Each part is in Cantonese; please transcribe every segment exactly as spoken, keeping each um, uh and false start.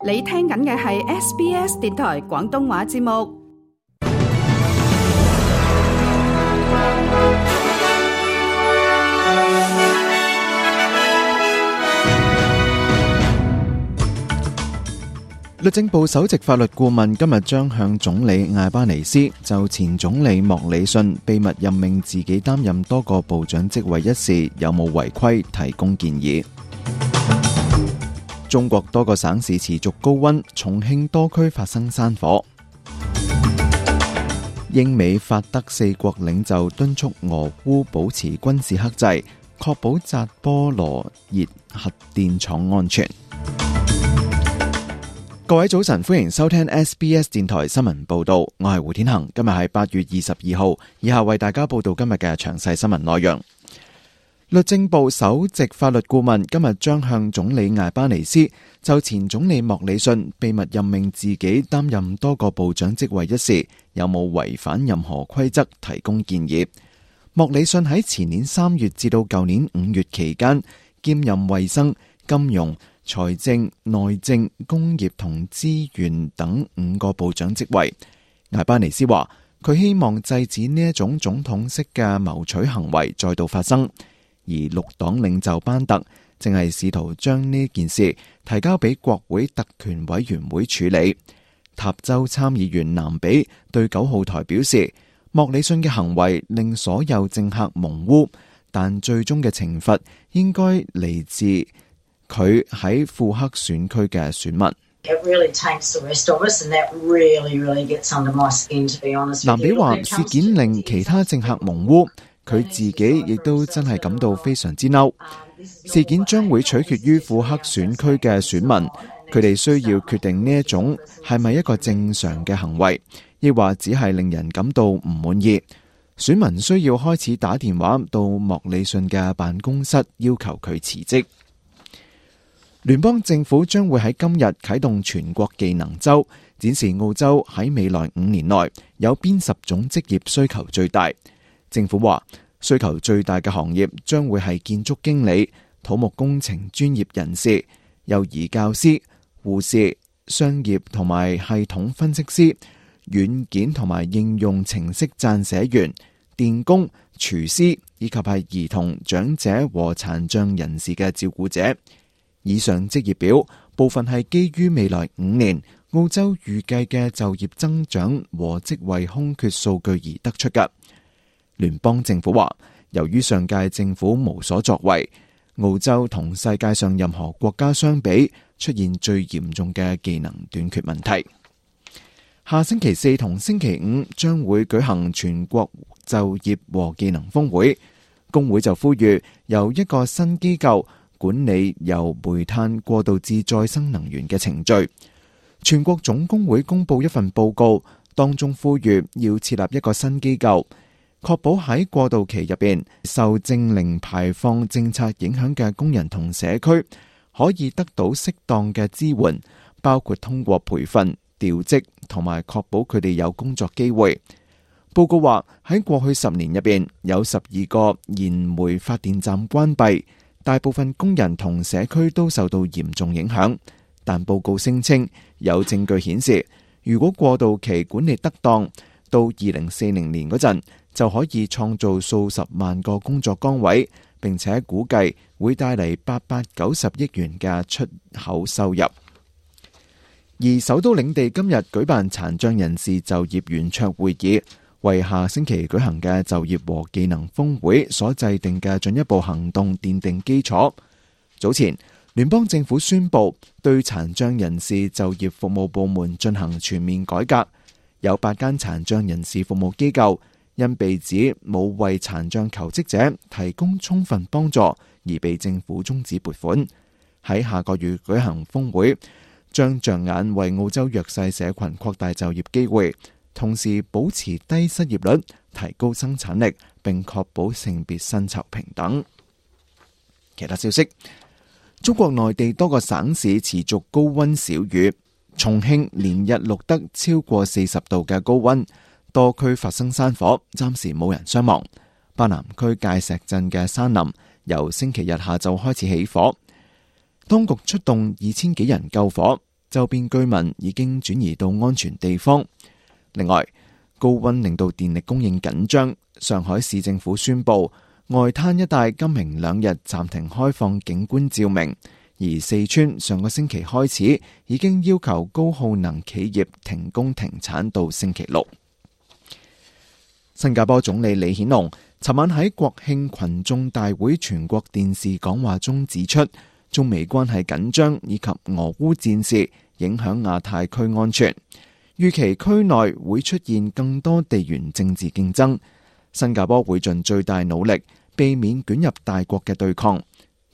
你聽緊嘅係 S B S 電台廣東話節目。律政部首席法律顧問今日將向總理艾巴尼斯就前總理莫里遜秘密任命自己擔任多個部長職位一事有冇違規提供建議。中國多個省市持續高溫，重慶多區發生山火。英美法德四國領袖敦促俄烏保持軍事克制，確保扎波羅熱核電廠安全。各位早晨，歡迎收聽 S B S 電台新聞報道，我係胡天恒。今日係八月二十二號，以下為大家報道今日嘅詳細新聞內容。律政部首席法律顧問今日將向總理艾巴尼斯就前總理莫里遜秘密任命自己擔任多個部長職位一事有冇違反任何規則提供建議。莫里遜喺前年三月至到舊年五月期間兼任衛生、金融、財政、內政、工業同資源等五個部長職位。艾巴尼斯話佢希望制止呢一種總統式嘅謀取行為再度發生。而綠黨領袖班特正係試圖將呢件事提交俾國會特權委員會處理。塔州參議員南比對九號台表示，莫里遜嘅行為令所有政客蒙污，但最終嘅懲罰應該嚟自佢喺庫克選區嘅選民。南比話事件令其他政客蒙污，佢自己亦都真係感到非常之嬲。事件將會取決於庫克選區嘅選民，佢哋需要決定呢一種係咪一個正常嘅行為，亦或只係令人感到唔滿意。選民需要開始打電話到莫里遜嘅辦公室，要求佢辭職。聯邦政府將會喺今日啟動全國技能周，展示澳洲喺未來五年內有邊十種職業需求最大。政府話需求最大嘅行業將會係建築經理、土木工程專業人士、幼兒教師、護士、商業同埋系統分析師、軟件同埋應用程式撰寫員、電工、廚師以及係兒童、長者和殘障人士嘅照顧者。以上職業表部分係基於未來五年澳洲預計嘅就業增長和職位空缺數據而得出嘅。聯邦政府話，由於上屆政府無所作為，澳洲同世界上任何國家相比，出現最嚴重嘅技能短缺問題。下星期四同星期五將會舉行全國就業和技能峰會，工會就呼籲由一個新機構管理由煤炭過渡至再生能源嘅程序。全國總工會公布一份報告，當中呼籲要設立一個新機構，確保喺過渡期入邊受淨零排放政策影響嘅工人同社區可以得到適當嘅支援，包括通過培訓、調職同埋確保佢哋有工作機會。報告話喺過去十年入邊有十二個燃煤發電站關閉，大部分工人同社區都受到嚴重影響。但報告聲稱有證據顯示，如果過渡期管理得當，到二零四零年嗰陣就可以創造數十萬個工作崗位，並且估計會帶嚟八百九十億元嘅出口收入。而首都領地今日舉辦殘障人士就業圓桌會議，為下星期舉行嘅就業和技能峰會所制定嘅進一步行動奠定基礎。早前聯邦政府宣布對殘障人士就業服務部門進行全面改革，有八間殘障人士服務機構因被指冇為殘障求職者提供充分幫助而被政府終止撥款。喺下個月舉行峰會，將着眼為澳洲弱勢社群擴大就業機會，同時保持低失業率，提高生產力，並確保性別薪酬平等。其他消息，中國內地多個省市持續高溫少雨，重慶連日錄得超過四十度嘅高溫，多區發生山火，暫時冇人傷亡。巴南區界石鎮嘅山林由星期日下晝開始起火，當局出動二千幾人救火，周邊居民已經轉移到安全地方。另外，高溫令到電力供應緊張，上海市政府宣布外灘一帶今明兩日暫停開放景觀照明，而四川上個星期開始已經要求高耗能企業停工停產到星期六。新加坡總理李顯龍尋晚喺國慶群眾大會全國電視講話中指出，中美關係緊張以及俄烏戰事影響亞太區安全，預期區內會出現更多地緣政治競爭，新加坡會盡最大努力避免捲入大國嘅對抗。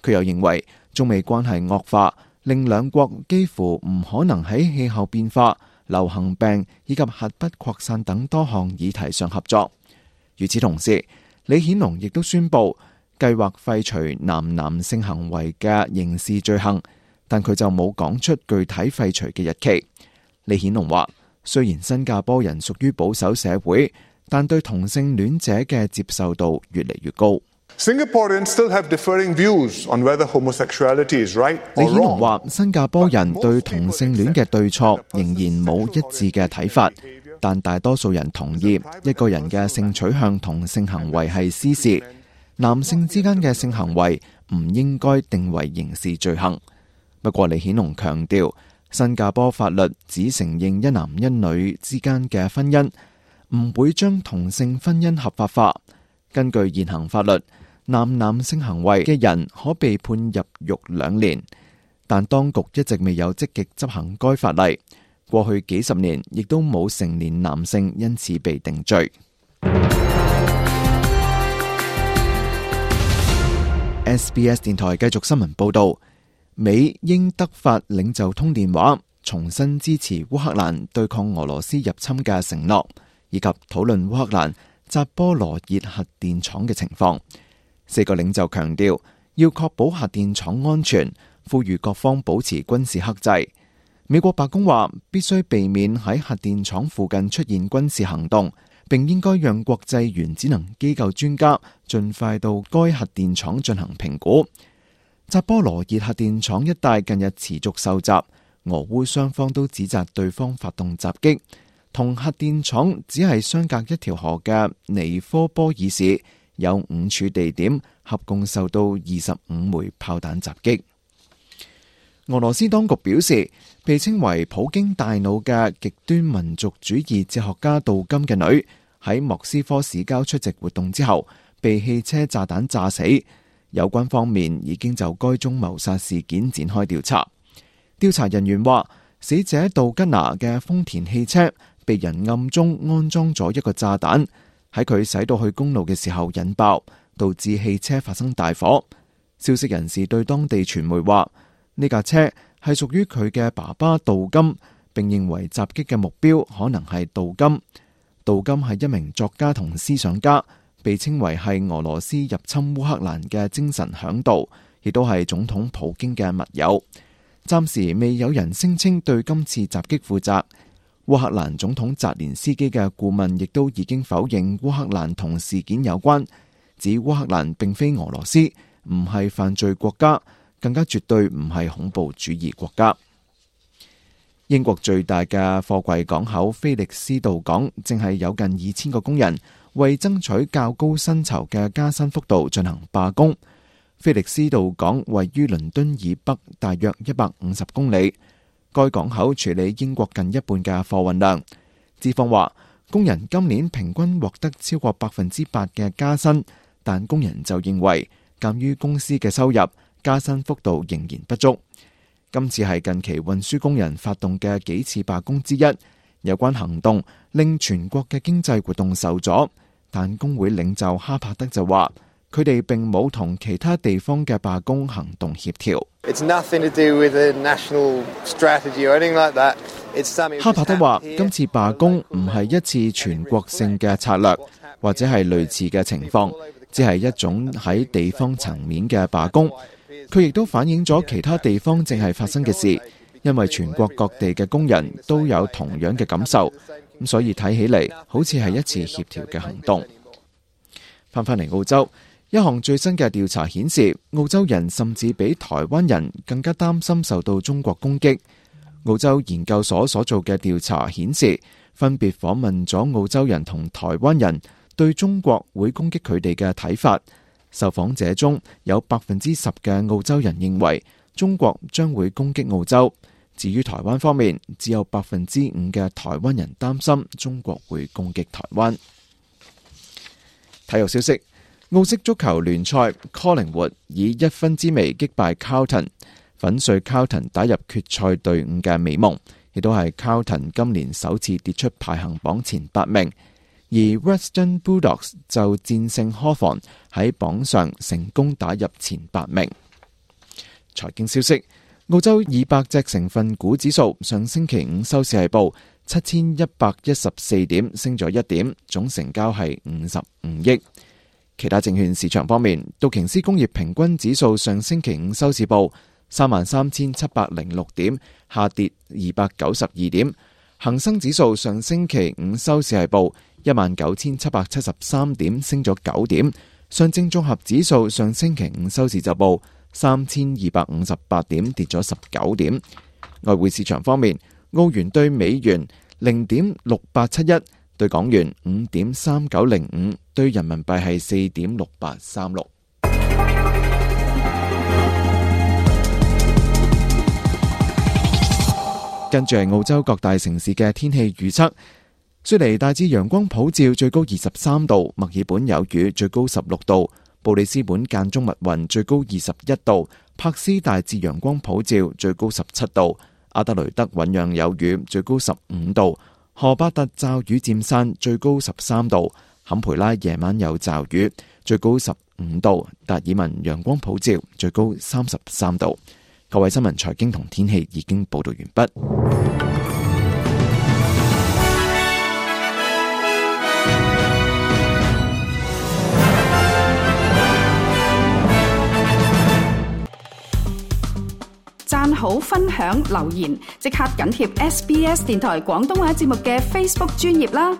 佢又認為中美關係惡化，令兩國幾乎唔可能喺氣候變化、流行病以及核不擴散等多項議題上合作。與此同時，李顯龍亦都宣布計劃廢除男男性行為嘅刑事罪行，但佢就冇講出具體廢除嘅日期。李顯龍話，雖然新加坡人屬於保守社會，但對同性戀者嘅接受度越嚟越高。Singaporeans still have differing views on whether homosexuality is right or wrong. 李顯龍話，新加坡人對同性戀嘅對錯仍然冇一致嘅睇法，但大多數人同意一個人嘅性取向同性行為係私事，男性之間嘅性行為唔應該定為刑事罪行。不過李顯龍強調，新加坡法律只承認一男一女之間嘅婚姻，唔會將同性婚姻合法化。根據現行法律，男男性行為嘅人可被判入獄兩年，但當局一直未有積極執行該法例。過去幾十年亦都冇成年男性因此被定罪。S B S 電台繼續新聞報道，美英德法領袖通電話，重新支持烏克蘭對抗俄羅斯入侵嘅承諾，以及討論烏克蘭扎波羅熱核電廠嘅情況。四個領袖強調要確保核電廠安全，呼籲各方保持軍事克制。美國白宮話必須避免喺核電廠附近出現軍事行動，並應該讓國際原子能機構專家盡快到該核電廠進行評估。扎波羅熱核電廠一帶近日持續受襲，俄烏雙方都指責對方發動襲擊。同核電廠只係相隔一條河嘅尼科波爾市有五處地點，合共受到二十五枚炮彈襲擊。俄羅斯當局表示，被稱為普京大腦嘅極端民族主義哲學家杜金嘅女喺莫斯科市郊出席活動之後，被汽車炸彈炸死。有關方面已經就該宗謀殺事件展開調查。調查人員話，死者杜吉娜嘅豐田汽車被人暗中安裝咗一個炸彈，喺佢駛到去公路嘅時候引爆，導致汽車發生大火。消息人士對當地傳媒話，呢架車係屬於佢嘅爸爸杜金，並認為襲擊嘅目標可能係杜金。杜金係一名作家同思想家，被稱為係俄羅斯入侵烏克蘭嘅精神響導，亦都係總統普京嘅密友。暫時未有人聲稱對今次襲擊負責。烏克蘭總統澤連斯基嘅顧問亦都已經否認烏克蘭同事件有關，指烏克蘭並非俄羅斯，唔係犯罪國家，更加絕對唔係恐怖主義國家。英國最大嘅貨櫃港口菲利斯道港正係有近二千個工人為爭取較高薪酬嘅加薪幅度進行罷工。菲利斯道港位於倫敦以北大約一百五十公里，該港口處理英國近一半嘅貨運量。資方話，工人今年平均獲得超過百分之八嘅加薪，但工人就認為鑒於公司嘅收入，加薪幅度仍然不足。今次係近期運輸工人發動嘅幾次罷工之一，有關行動令全國嘅經濟活動受阻，但工會領袖哈柏德就話，佢哋並冇同其他地方嘅罷工行動協調。哈柏德話，今次罷工唔係一次全國性嘅策略，或者係類似嘅情況，只係一種喺地方層面嘅罷工。佢亦都反映咗其他地方正係發生嘅事，因為全國各地嘅工人都有同樣嘅感受，咁所以睇起嚟好似係一次協調嘅行動。翻返嚟澳洲，一項最新嘅調查顯示，澳洲人甚至比台灣人更加擔心受到中國攻擊。澳洲研究所所做嘅調查顯示，分別訪問咗澳洲人同台灣人對中國會攻擊佢哋嘅睇法。受訪者中有百分之十嘅澳洲人認為中國將會攻擊澳洲。至於台灣方面，只有百分之五嘅台灣人擔心中國會攻擊台灣。體育消息：澳式足球聯賽，Collingwood以一分之微擊敗 Carlton， 粉碎 Carlton 打入決賽隊伍嘅美夢，亦都係 Carlton 今年首次跌出排行榜前八名。而 Western Bulldogs 就戰勝 Hawthorn 喺榜上成功打入前八名。財經消息：澳洲二百隻成分股指數上星期五收市係報七千一百一十四點，升咗一點，總成交係五十五億。其他證券市場方面，道瓊斯工業平均指數上星期五收市報三萬三千七百零六點，下跌二百九十二點。恒生指數上星期五收市係報一萬九千七百七十三點，升咗九點。上證綜合指數上星期五收市就報三千二百五十八點，跌咗十九點。外匯市場方面，澳元對美元零點六八七一，對港元五點三九零五，對人民幣係四點六八三六。跟住係澳洲各大城市嘅天氣預測。雪梨大致陽光普照，最高二十三度；墨爾本有雨，最高十六度；布里斯本間中密雲，最高二十一度；柏斯大致陽光普照，最高十七度；阿德雷德醞釀有雨，最高十五度；荷巴特驟雨漸散，最高十三度；坎培拉夜晚有驟雨，最高十五度；達爾文陽光普照，最高三十三度。各位新聞、財經同天氣已經報道完畢。讚好、分享、留言，即刻緊貼 S B S 電台廣東話節目嘅 Facebook 專頁啦！